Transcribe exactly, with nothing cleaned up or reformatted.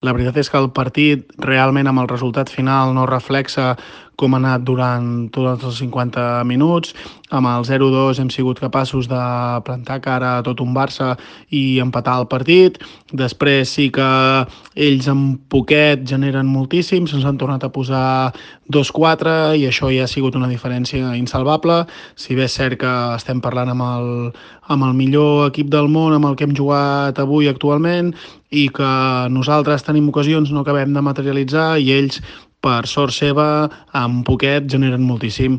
La veritat és que el partit realment amb el resultat final no reflexa com ha anat durant tots els cinquanta minuts. Amb el zero dos hem sigut capaços de plantar cara a tot un Barça i empatar el partit. Després sí que ells amb poquet generen moltíssim, se'ns han tornat a posar dos quatre i això ja ha sigut una diferència insalvable. Si bé és cert que estem parlant amb el, amb el millor equip del món amb el que hem jugat avui actualment i que nosaltres tenim ocasions, no acabem de materialitzar i ells, per sort seva, amb poquet generen moltíssim.